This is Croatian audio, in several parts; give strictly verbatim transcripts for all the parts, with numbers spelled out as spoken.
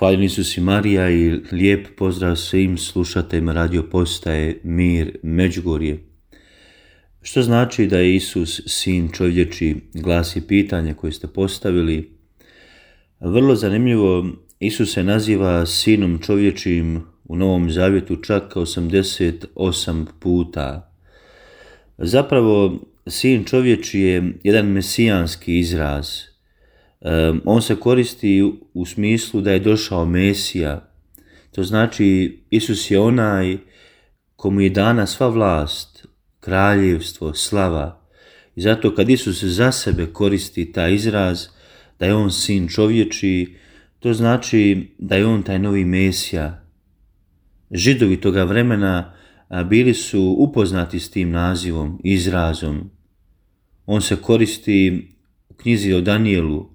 Hvaljeni Isus i Marija i lijep pozdrav svim slušateljima radio postaje Mir Međugorje. Što znači da je Isus sin čovječi, glasi pitanje koje ste postavili. Vrlo zanimljivo, Isus se naziva sinom čovječim u Novom Zavjetu čak osamdeset osam puta. Zapravo, sin čovječi je jedan mesijanski izraz. On se koristi u smislu da je došao Mesija. To znači Isus je onaj komu je dana sva vlast, kraljevstvo, slava. I zato kad Isus za sebe koristi taj izraz da je on sin čovječi, to znači da je on taj novi Mesija. Židovi toga vremena bili su upoznati s tim nazivom, izrazom. On se koristi u knjizi o Danijelu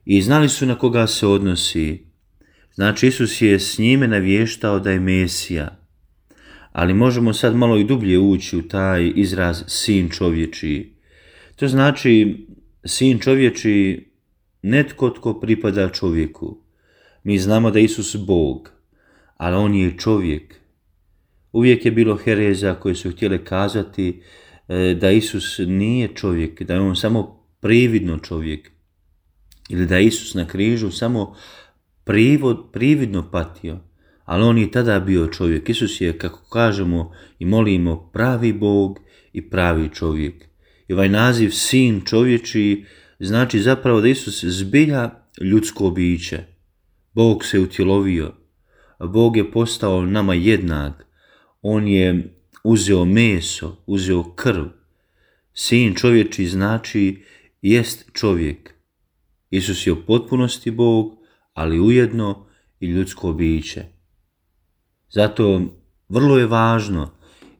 i znali su na koga se odnosi. Znači Isus je s njime navještao da je Mesija. Ali možemo sad malo i dublje ući u taj izraz sin čovječi. To znači sin čovječi netko tko pripada čovjeku. Mi znamo da je Isus Bog, ali on je čovjek. Uvijek je bilo hereza koje su htjele kazati da Isus nije čovjek, da je on samo prividno čovjek. Ili da je Isus na križu samo privod, prividno patio, ali on je tada bio čovjek. Isus je, kako kažemo i molimo, pravi Bog i pravi čovjek. I ovaj naziv sin čovječi znači zapravo da Isus zbilja ljudsko biće. Bog se utjelovio, Bog je postao nama jednak, on je uzeo meso, uzeo krv. Sin čovječi znači jest čovjek. Isus je u potpunosti Bog, ali ujedno i ljudsko biće. Zato vrlo je važno,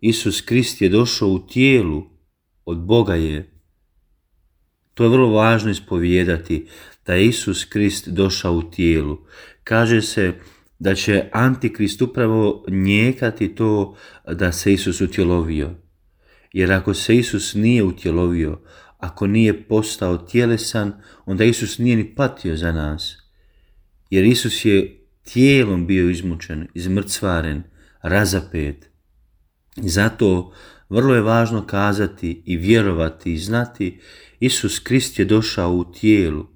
Isus Krist je došao u tijelu, od Boga je. To je vrlo važno ispovijedati, da je Isus Krist došao u tijelu. Kaže se da će Antikrist upravo njekati to da se Isus utjelovio. Jer ako se Isus nije utjelovio, ako nije postao tjelesan, onda Isus nije ni patio za nas. Jer Isus je tijelom bio izmučen, izmrcvaren, razapet. Zato vrlo je važno kazati i vjerovati i znati, Isus Krist je došao u tijelu.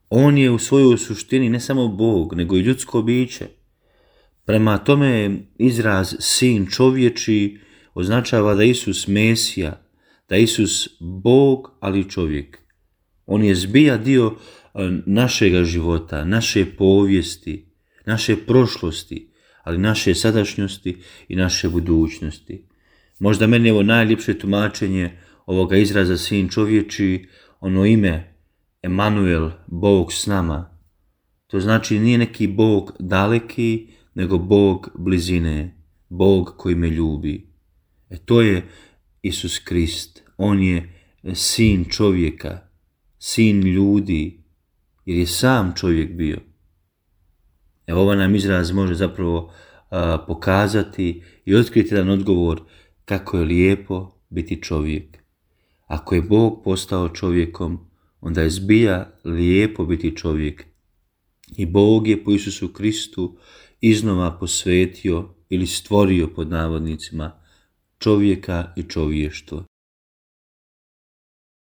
On je u svojoj suštini ne samo Bog, nego i ljudsko biće. Prema tome izraz sin čovječi označava da je Isus Mesija, da je Isus Bog, ali čovjek. On je zbija dio našega života, naše povijesti, naše prošlosti, ali naše sadašnjosti i naše budućnosti. Možda meni je ovo najljepše tumačenje ovoga izraza sin čovječi, ono ime Emanuel, Bog s nama. To znači nije neki Bog daleki, nego Bog blizine, Bog koji me ljubi. E to je Isus Krist. On je sin čovjeka, sin ljudi, jer je sam čovjek bio. Evo ovaj nam izraz može zapravo a, pokazati i otkriti jedan odgovor kako je lijepo biti čovjek. Ako je Bog postao čovjekom, onda je zbilja lijepo biti čovjek. I Bog je po Isusu Kristu iznova posvetio ili stvorio pod navodnicima čovjeka i čovještvo.